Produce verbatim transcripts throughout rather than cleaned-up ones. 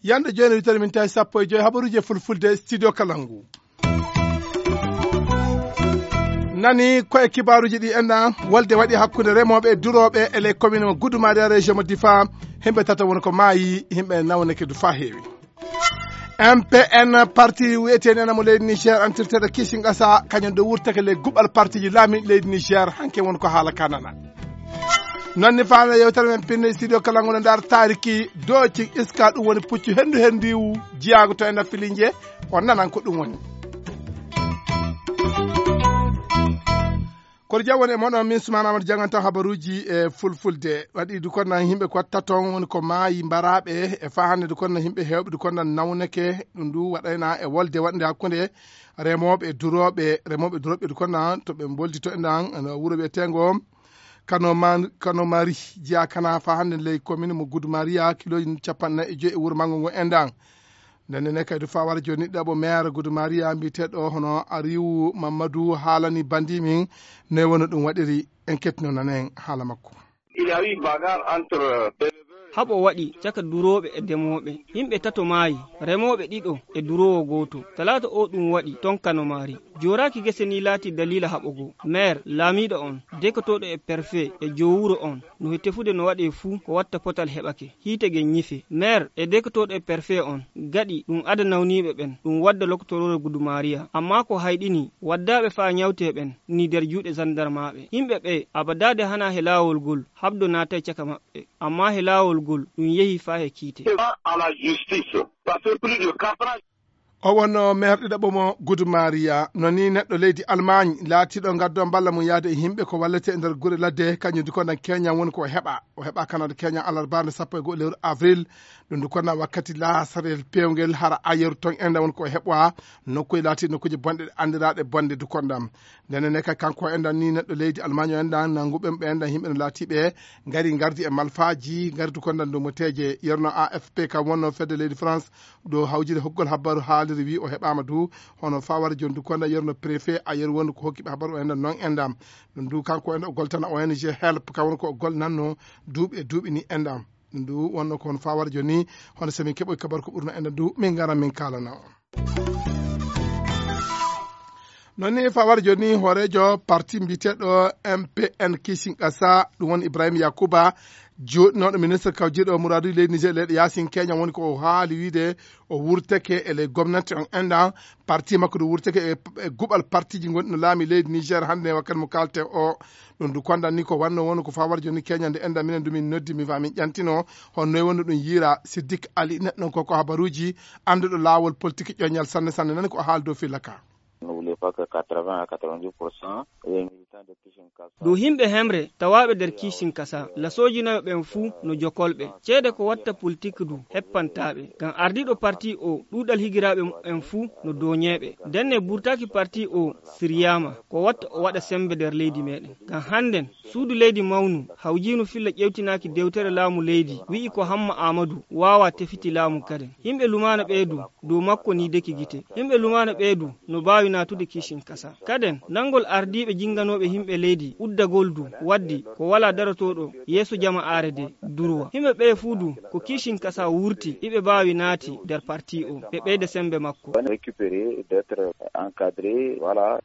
Yande jooni wittere min tawi sappo e joy habaruuje fulfulde studio Kalangu. Nani ko e kibaaruuji ɗi enɗan wolde waɗi hakkunde remooɓe e durooɓe e les commune mo Gudumariya région mo Difa, himɓe tata woni ko maayi, himɓe nawneke du fa heewi. M P N parti wiyeteeni ena mo leydi Niger antirteɗo Kisingasa, kañum ɗo wurtake les guɓal partiji laami leydi Niger, hanke woni ko haala ka nana. Noon ni faala yewtere men pinne studio Kalangu no ndaar taariki dooci iska, ɗum woni puccu henndu henndiwu jiyaago to ena filinje, on nanan ko ɗum woni. Kono jam woni e moɗon, min Sumaana Amadu janganta habaruuji e fulfulde. Waɗi du konna yimɓe ko taton woni ko maayi mbaraaɓe e faa hannde du konna yimɓe heewɓe du konna nawneke. Ɗum du waɗayna e wolde waɗnde hakkunde remooɓe e durooɓe, remooɓe e durooɓe du konna to ɓe mboldi to enɗan wuro wiyeteengo Kano Ma-, Kano Mari, jeyaa kana faa hannde ley commune mo Gudumariya, kilooji capanɗe nayi e joyi e wuro manngo ngo enɗan. Nden ne kadi faa wara jooni ɗaɓo maire Gudumariya mbiyeteeɗo hono Ariwu Mammadu haalani bandi min noy woni ɗum waɗiri, en kettino nanen haala makko. Il y a eu bagarre entre Haɓo waɗi caka durooɓe e demooɓe. Yimɓe tato maayi, remooɓe ɗiɗo e duroowo gooto. Talaata o ɗum waɗi ton Kano Mari. Jooraaki gese ni laati daliila haɓo goo. Maire, laamiiɗo on, dekotooɗo e perfe e joowuro on, no he tefude no waɗee fuu ko watta potal heɓake. Hiite gen ñife. Maire e dekotooɗo e perfe on, gaɗi ɗum ada nawniiɓe ɓen, ɗum wadda lokotoroore Gudumariya. Ammaa ko hayɗini, waddaaɓe faa ñawtee ɓen, ni der juuɗe zandarmaaɓe. Yimɓe ɓee, abadaade hanaa he laawol gol, habdo naatay caka maɓɓe. Ammaa he laawol gol, ɗum yehi faa he kiite. Pas à la justice. Ça fait plus de quatre ans. O wonno maire ɗiɗaɓo mo Gudumariya. No ni neɗɗo leydi Allemagne laatiiɗo ngaddo mballa mum yaade e yimɓe ko wallete e nder gure ladde, kañum du ko nan keñan woni ko o heɓa. O heɓa Kanada keñan alarbaande sappo e go'o lewru avril. Ɗum du konna wakkati laasarel peewngel hara ayeru ton enda woni ko o heɓwa nokkuye laati nokkuuje bonɗe anndiraaɗe bonde du kondam. Ndenen ne kay kanko enɗan ni neɗɗo leydi Allemagne o enɗan nanguɓe ɓe enɗan yimɓe no laatiɓe ngari ngardi e malfaji ngardi ko ndan dow moteje yerno A F P kam wonno fedde leydi France ɗo hawjide hokkugol habbaru haaliri wi o heɓama du hono fawara joni du konda yerno préfet a yeru wonde ko hokkiɓe habbaru o enɗan noon enɗan ɗum du kanko enɗan o goltana O N G help kam woni ko o golnanno duuɓi e duuɓi ni enɗan ɗum du wonno ko hono fawara joni hono somin keɓoy kabaru ko ɓurno enɗan du min garan min kalana on. Noon ni fawar jooni hooreejo parti mbiyeteeɗo M P N Kishin Kasa ɗum woni Ibrahim Yakuba jooɗinooɗo ministre kawjiiɗo muraaduuji leydi Niger leyɗe yaasin keñan woni ko o haali wiide o wurteke e ley gomnati on enɗan parti makko ɗum wurteke e e guɓal partiji gonɗi no laami leydi Niger hannde e wakkati mo kaalte o ɗum du kondan ni ko wanno woni ko fawar jooni keñande enɗan minen du min noddi mi fa min ƴantino honno e wonno ɗum yiira Siddik Ali neɗɗon koko habaruuji annduɗo laawol politique ƴoñal sanne sanne nani ko o haali dow filla ka. N'oubliez pas que quatre-vingts à quatre-vingt-dix pour cent des militants de Kishin Kasa. Dow yimɓe hemre tawaaɓe nder Kishin Kasa lasoojinayo ɓen fuu no jokolɓe ceede ko watta politik du heppantaaɓe ngam ardiiɗo parti o ɗuuɗal higiraaɓe mumen fuu no dooñeeɓe ndenne burtaaki parti o siryaama ko watta o waɗa sembe nder leydi meɗen ngam hannden suudu leydi mawnu hawjiinu filla ƴewtinaaki dewtere laamu leydi wi'i ko Hamma Aamadu waawaa tefiti laamu kaden. Yimɓe lumaana ɓee du dow makko ni deki gite. Yimɓe lumaana ɓee du no baawi naatude Kishin Kasa. Kaden nanngol ardiiɓe jinnganooɓe yimɓe leydi uddagol du waddi ko walaa darotooɗo yeeso jama aare de durwa. Yimɓe ɓee fuu du ko Kishin Kasa wurti iɓe baawi naati nder parti o ɓe ɓeyda semmbe makko. Récupérer, d'être encadré, voilà.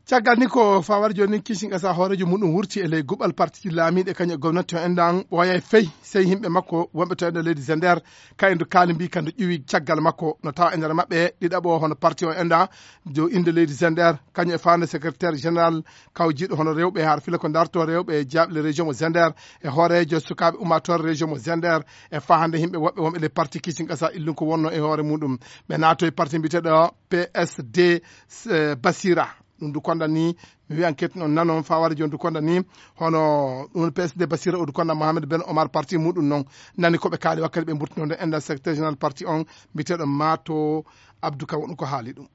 Caggal ni ko fawar jooni Kishin Kasa hooreejo muɗum wurti e ley guɓal partiji laamiiɗe kañum e gomnati o enɗan ɓooyay fey sey yimɓe makko wonɓe to enɗan leydi Zender kayen du kaali mbi kandu ƴuwi caggal makko no tawa e nder maɓɓe ɗiɗaɓo hono parti o enɗan dow innde leydi Zender kañum e faande secrétaire général kawjiiɗo hono rewɓe har fila ko darto rewɓe jaaɓle région mo Zender e hooreejo sukaaɓe ummaatoore région mo Zender e fahande yimɓe woɓɓe wonɓe ley parti Kishin Kasa illum ko wonno e hoore muɗum ɓe naato e parti mbiyeteeɗo P S D Basira. Ɗum du konda ni mi wiyan kettin on nanon faware joni du konda ni hono ɗum P S D Basira o du konda Mohamed Ben Omar parti muɗum noon nani koɓe kaali wakkati ɓe mburtinode enɗan secrétaire général parti on mbiyeteɗo Mato Abdou Ka wonɗum ko haali ɗum.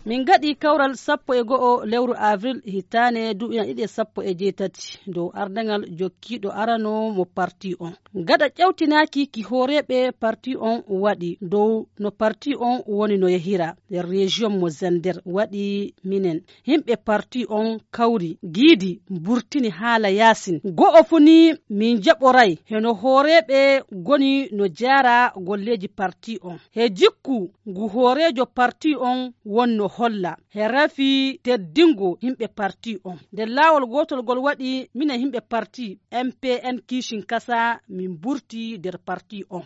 Min ngaɗi kawral sappo e go'o lewru avril hitaane duuɓi ɗiɗi e sappo e jeetati dow ardaŋal jokkiiɗo arano mo parti on. Gaɗa ƴawtinaaki ki hooreeɓe parti on waɗi dow no parti on woni no yahira nder rejiyon mo Zender waɗi minen. Yimɓe parti on kawri giidi mburtini haala yaasin. Go'o fu ni min jaɓoray heno hooreeɓe goni no jaara golleeji parti on. He jikku ngu hooreejo parti on wonno holla he rafi teddingo yimɓe parti on. Nder laawol gootol ngol waɗi minen yimɓe parti M P N Kishin Kasa min mburti nder parti on.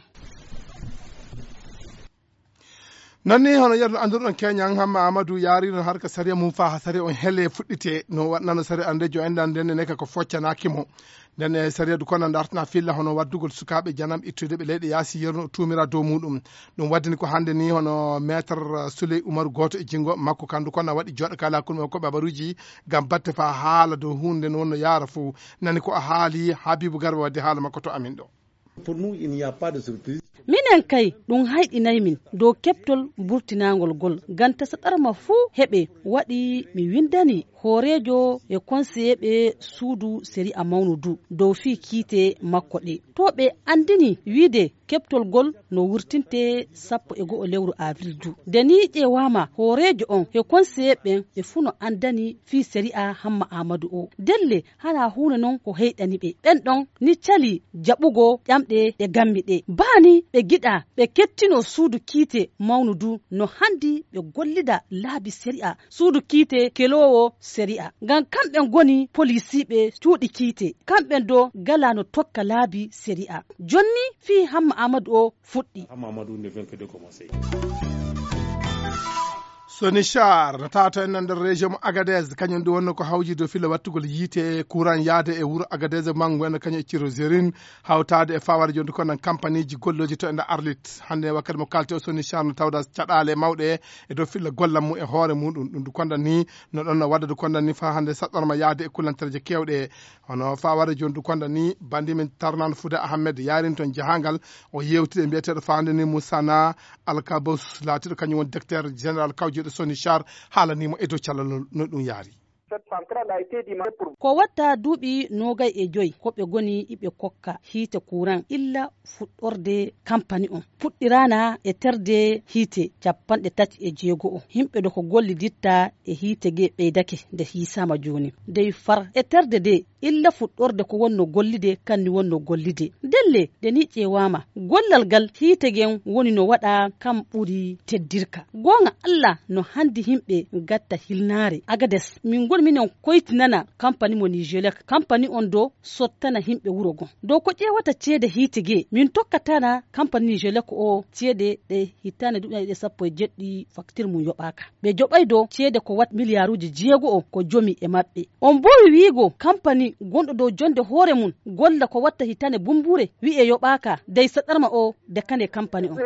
Noon ni hono yerno annduɗon keñan hamma amadou yaariɗon harka sariya mum faa haa sariya on hele fuɗɗite no waɗnano sariya anndejo enɗan nden ne ka ko foccanaaki mo. Nden e sariya du kono dartana filla hono waddugol sukaaɓe janam ittude ɓe leyɗe yaasi yerno o tuumira dow muɗum. Ɗum waddini ko hannde ni hono maître souley umaru gooto e jinngo makko kandu kono waɗi jooɗo kala hakkunde makko ɓe habaruuji ngam batte faa haala dow huunde nde wonno yaara fof. Nani ko a haali habibu garba wadde haala makko to amin ɗo. Minen kay ɗum hayɗinay min dow keɓtol burtinaangol ngol ngam tasa ɗarma fuu heɓe waɗi mi winndani hooreejo e konseyeeɓe suudu sariya mawnu du dow fii kiite makko ɗe to ɓe anndini wiide keɓtol ngol no wurtinte sappo e go'o lewru avril du nde ni ƴeewaama hooreejo on e konseyeeɓe ɓen ɓe fuu no anndani fii sariya hamma aamadu o ndelle hara huunde non ko heyɗani ɓe ɓen ɗon ni calii jaɓugo ƴamɗe ɗe nganmi ɗe baa ni ɓe ngiɗaa ɓe kettinoo suudu kiite mawnu du no hanndi ɓe gollida laabi sariya suudu kiite keloowo sariya ngam kamɓe ngoni poliisiiɓe cuuɗi kiite kamɓe do ngalaa no tokka laabi sariya jonni fii hamma aamadu o fuɗɗi. Sonichar no tawata en nder région mo agadez kañum ɗum wonno ko hawji dow filla wattugol yiite courant yaade e wuro agadez mangu en kañum e ciro zerin hawtaade e faware jonde ko nan kampaniji golloji to e nder arlit hannde wakkati mo kalti o sonichar no tawda caɗale mawɗe e dow filla gollam mum e hoore muɗum ɗum du kondan ni no ɗon no wadda du kondan ni fa hannde saɗɗorma yaade e kullantereje kewɗe. Hono faware jondu konda ni bandi men tarnan fuda ahmed yarin ton jahangal o yewtide mbiyeteɗo fande ni musana alkabos latiɗo kañum woni docteur général kawjeɗo soni char haalanimo e dow callalol no ɗum yaari. Ko watta duuɓi noogay e joy ko ɓe goni iɓe kokka hiite kuran illa fuɗɗorde kampani on puɗɗirana e terde hiite capanɗe tati e jeego o yimɓe ɗo ko golliditta e hiite ge ɓeydake nde hiisama joni dey far e terde de illa fuɗɗorde ko wonno gollide kanni wonno gollide ndelle nde ni ƴeewama gollal ngal hiite gen woni no waɗa kam ɓuri teddirka goonga allah no handi yimɓe gatta hilnaare agades min ngoni minen koytinana kampani mo nigelek kampani on do sottana yimɓe wuro gon dow ko ƴeewata ceede hiite ge min tokkatana kampani nigelek o ceede ɗe hittande duɗaɗe ɗe sappo e jeɗɗi facture mum yoɓaka ɓe joɓay do ceede ko wat miliyaruji jeego o ko jomi e maɓɓe on mbowi wiigo kampani gonɗo dow jonde hoore mum golla ko watta hittande bumbure wi'e yoɓaka dey saɗarma o de kane kampani on.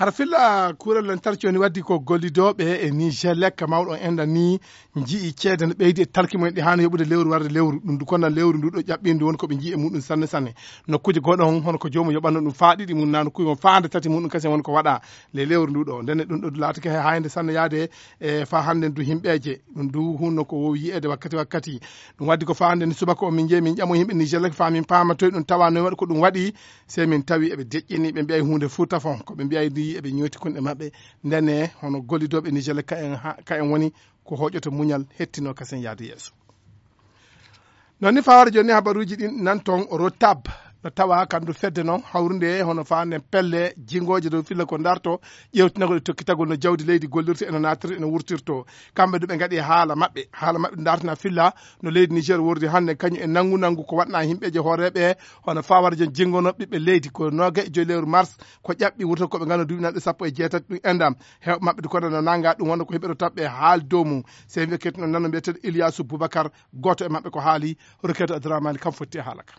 Hara filla kuural lantarki woni waddi ko gollidooɓe e niger lekka mawɗo enɗan ni nji'i ceede no ɓeydi e talki mumen ɗi haani yoɓude lewru warde lewru ɗum du konna lewru ndu ɗo ƴaɓɓindu woni ko ɓe nji'i e muɗum sanne sanne. Nokkuuje goɗo on hono ko joomum yoɓanno ɗum faa ɗiɗi mum na nokkuuje mum faande tati muɗum kasen woni ko waɗa ley lewru ndu ɗo ndenne ɗum ɗo laatake hay haynde sanne yaade e faa hannde du himɓeeje ɗum du hunno ko wowi yi'eede wakkati wakkati. Ɗum waddi ko faa hannde ni subaka o min njeyi min ƴamo yimɓe niger lekka faa min paama toye ɗum tawa noye waɗi ko ɗum waɗi. Sey min tawi eɓe deƴƴini ɓe mbiyay huunde fuu tafon ko ɓe mbiyay ndi eɓe ñooti kunɗe maɓɓe. Ndene hono gollidooɓe nigel ka en woni ko hooƴoto muñal hettino kasen yahde yeeso. Noon ni fawaade jooni habaruuji ɗin nan toon rotab no tawa kandu fedde noon hawrude hono faande pelle jingooje dow filla ko darto ƴeewtinagol e tokkitagol no jawdi leydi gollirta eno naatirta eno wurtirto. Kamɓe du ɓe ngaɗi haala maɓɓe haala maɓɓe dartina filla no leydi niger wordi hannde kañum e nanngu nanngu ko waɗna himɓeeje hooreeɓe hono fawarjo jingono ɓiɓɓe leydi ko noga e joyi lewru mars ko ƴaɓɓi wurto koɓe ngano duwinanɗe sappo e jeetati ɗum endam. Hewɓe maɓɓe du kono no nanga ɗum wonno ko heɓeɗo taɓɓe haali dow mum. Sey wiya kettuno nano mbiyeteɗo iliyasu boubacar gooto e maɓɓe ko haali. Roketo adramani kam fotti e haala ka.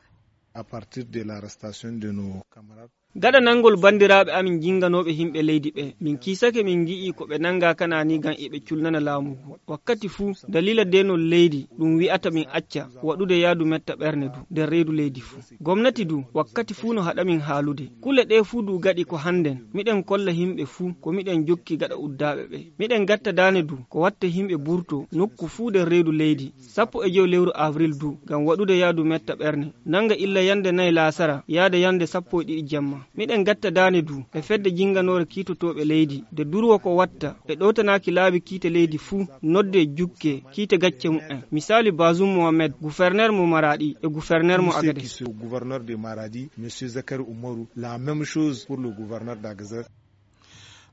À partir de l'arrestation de nos camarades. Gaɗa nanngol banndiraaɓe amin jinnganooɓe yimɓe leydi ɓee, min kiisake min ngi'ii ko ɓe nanngaa kanaa nii ngam eɓe culnana laamu ngu. Wakkati fuu, daliila deenol leydi ɗum wi'ata min acca waɗude yahdu metta ɓerne du nder reedu leydi fuu. Gomnati du, wakkati fuu no haɗa min haalude. Kule ɗee fuu du gaɗi ko hannden, miɗen kolla yimɓe fuu ko miɗen jokki gaɗa uddaaɓe ɓee. Miɗen gatta daane du ko watta yimɓe burtoo nokku fuu nder reedu leydi, sappo e jowi lewru avril du, ngam waɗude yahdu metta ɓerne, nannga illa yannde nay laasara yaada yannde sappo e ɗiɗi jemma. Miɗen gatta daane du e fedde jinnganoore kiitotooɓe leydi, nde durwo ko watta ɓe ɗowtanaaki laabi kiite leydi fuu, noddee jukkee kiite gacce mumen. Misaali Bazoum Mohamed, gouverneur mo Maradi e gouverneur mo Agadez. Gouverneur de Maradi, monsieur Zakari Umaru, la même chose pour le gouverneur d'Agadez.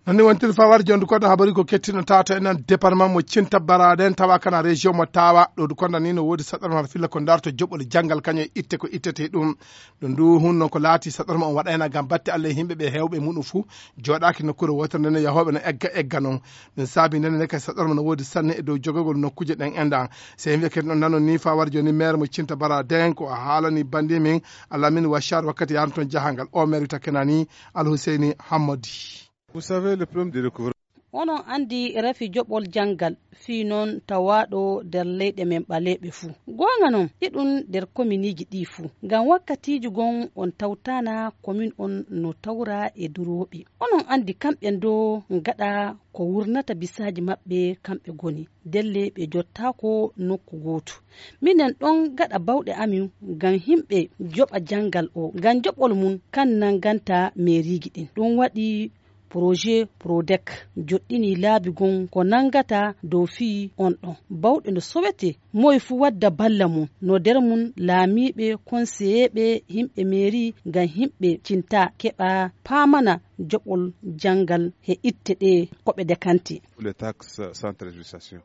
Noon ni wontiri fawar jondu koɗo habari ko kettino tato en nan département mo cinta baraden tawa kana région mo tawa ɗo du konda ni no wodi saɗar mar filla ko darto joɓol janngal kañum e itte ko ittete ɗum. Ɗum du hun noon ko laati saɗar mo on waɗayna ngam batte Allah e yimɓe ɓe hewɓe muɗum fuu joɗaki nokkure wotere nden yahooɓe no egga egga noon. Ɗum saabi nden ne kadi saɗar mo no wodi sanne e dow jogagol nokkuje ɗen endan. Se yimɓe kadi noon nanon ni fawar joni maire mo cinta baraden ko a haalani bandi min alamin washar wakkati yaranton jahangal o maire wita kenani Alhuseyni Hammadi. Vous savez, le problème de recouvrement. Onon anndi rafi joɓol janngal fii noon tawaaɗo nder leyɗe men ɓaleeɓe fuu. Goonga noon, iɗum nder kominiiji ɗii fuu. Ngam wakkatiiji gom on tawtaana komin on no tawra e durooɓe. Onon anndi kamɓe ndoo ngaɗa ko wurnata bisaaji maɓɓe kamɓe goni. Ndelle ɓe jottaako nokku gootu. Minen ɗon ngaɗa bawɗe amin ngam yimɓe joɓa janngal o. Ngam joɓol mum kan nannganta meeriiji ɗin. Ɗum waɗi Projet Prodec joɗɗinii laabi gom ko nanngata dow fii on ɗon. Bawɗe no sowetee, moye fuu wadda balla mum, no nder mum laamiiɓe, konseyeeɓe, yimɓe meeri, ngam yimɓe cinta keɓa paamana joɓol janngal he itte ɗe ko ɓe dekante. Les taxes sans trébuchation.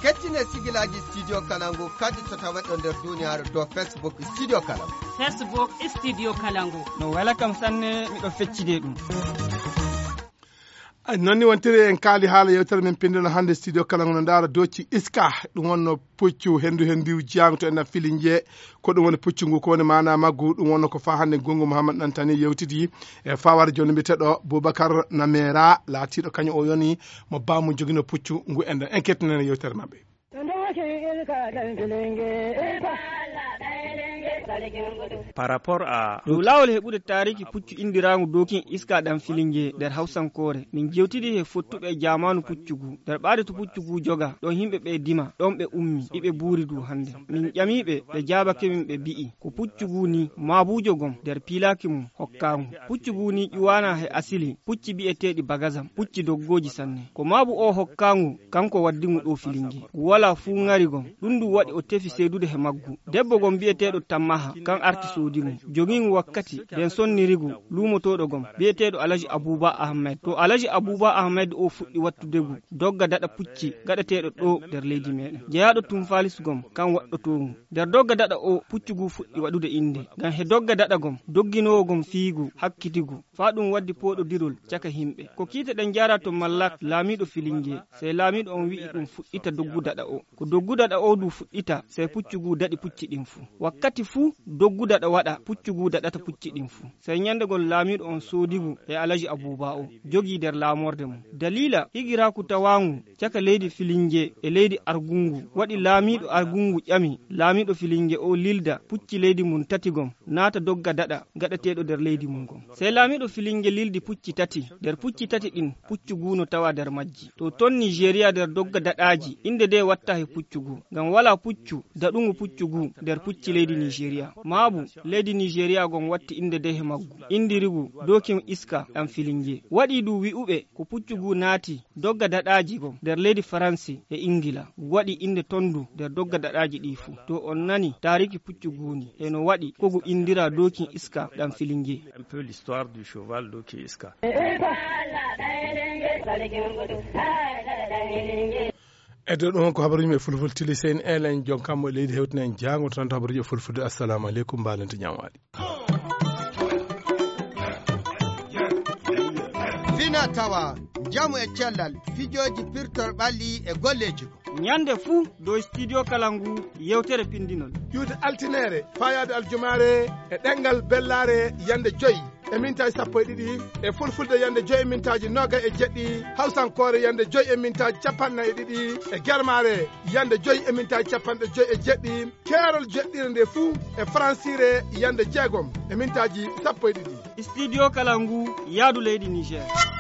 Kettine sigilaaji Studio Kalangu kadi so tawat ɗo nder duniyaaru dow Facebook Studio Kalangu. Facebook Studio Kalangu. No wela kam sanne, miɗo feccide ɗum. Ay, noon ni wontiri en kaali haala yewtere men pinndol hannde Studio Kalangu no ndaara doci iska, ɗum wonno puccu henndu henndu jaangto en filinje. Ko ɗum woni puccu ngu, ko woni maana maggu? Ɗum wonno ko faa hannde Gungu Muhammad Ɗantani yewtidi e fawar jooni mbiyeteeɗo Boubacar Namera, laatiiɗo kañum o yoni mo baamu jogino puccu ngu enɗan. En kettinani yewtere maɓɓe. Par rapport à dow laawol heɓude taariki puccu inndiraangu dokin iska ɗam filinge nder hawsankoore, min jewtidi he fottuɓe e jaamaanu puccu ngu. Nder ɓaade to puccu ngu joga, ɗon yimɓe ɓe dima, ɗon ɓe ummi, iɓe buuri du hannde. Min ƴamiiɓe, ɓe jaabake min, ɓe bi'i ko puccu ngu ni maabuujo gom nder piilaaki mum hokkaangu. Puccu ngu ni ƴuwaana he asili pucci bi'eteeɗi bagazam, pucci doggooji sanne. Ko maabu o hokkaangu, kanko waddi ngu ɗo filinge. Ngu walaa fuu ŋari gom. Ɗum ndu waɗi o tefi seedude he maggu. Debbo gom bi'eteeɗo Tammaha, kan arti soodi ngu. Jogii ngu wakkati, nden sonniri ngu luumotooɗo gom, bi'eteeɗo Alaji Abuuba Ahmed. To Alaji Abuuba Ahmed o fuɗɗi wattude ngu, dogga daɗa pucci gaɗeteeɗo ɗo nder leydi meɗen. Jeyaaɗo Tumfalis gom, kan waɗɗotoo ngu. Nder dogga daɗa o, puccu ngu fuɗɗi waɗude innde. Ngam he dogga daɗa gom, dogginoowo gom fiigu, hakkitigu, faa ɗum waddi pooɗodirol caka yimɓe. Ko kiite ɗen jaara to Mallak, laamiiɗo Filinge. Sey laamiiɗo on wi'i ɗum fuɗɗita doggu daɗa o. Ko doggu daɗa o du fuɗɗita, sey puccu ngu daɗi pucci ɗin fuu. Wakkati fuu doggu daɗa waɗa, puccu ngu daɗata pucci ɗin fuu. Sey nyannde gom laamiiɗo on soodi ngu e Alaji Abuuba o, jogii nder laamorde mum. Daliila higiraaku tawaangu caka leydi Filinge e leydi Argungu, waɗi laamiiɗo Argungu ƴami laamiiɗo Filinge o lilda pucci leydi mum tati gom, naata dogga daɗa gaɗeteeɗo nder leydi mum gom. Sey laamiiɗo Filinge lildi pucci tati, nder pucci tati ɗin, puccu ngu no tawa nder majji. To ton Nigeria nder dogga daɗaaji, innde nde watta he puccu ngu, ngam walaa puccu daɗungu puccu ngu nder pucci leydi Nigeria. Maabu leydi Nigeria gom watti innde nde he maggu, inndiri ngu dokin iska ɗam Filinge. Waɗi du wi'uɓe ko puccu ngu naati dogga daɗaaji gom nder leydi Faransi e Ingila. Ngu waɗi innde ton du nder dogga daɗaaji ɗi fuu. To on nani taariki puccu ngu ni, e no waɗi ko ngu inndira dokin iska ɗam Filinge. Un peu l'histoire du cheval dokin iska. E dow ɗum ko habaruji men fulfulde tili, sey en eela en jonkammo e leydi hewtina en jaango tan to habaruji e fulfulde. Assalamu aleykum, mbalente ñamwaali. Fina tawa, njamu e cellal, fijooji pirtor ɓalli e golleeji ko. Ñande fuu dow Studio Kalangu yewtere pindinol. Ƴuwde altinere, faayaade aljumaare e ɗemngal bellaare yande joyi. e mintaaji sappo e ɗiɗi, e fulfulde yande joyi e mintaaji noga e jeɗɗi, hawsankoore yande joyi e mintaaji capanɗe nayi e ɗiɗi, e germaare yande joyi e mintaaji capanɗe joyi e jeɗɗi, keerol jeɗɗire nde fuu e faransiire yande jeegom e mintaaji sappo e ɗiɗi. Studio Kalangu, yaadu leydi Niger.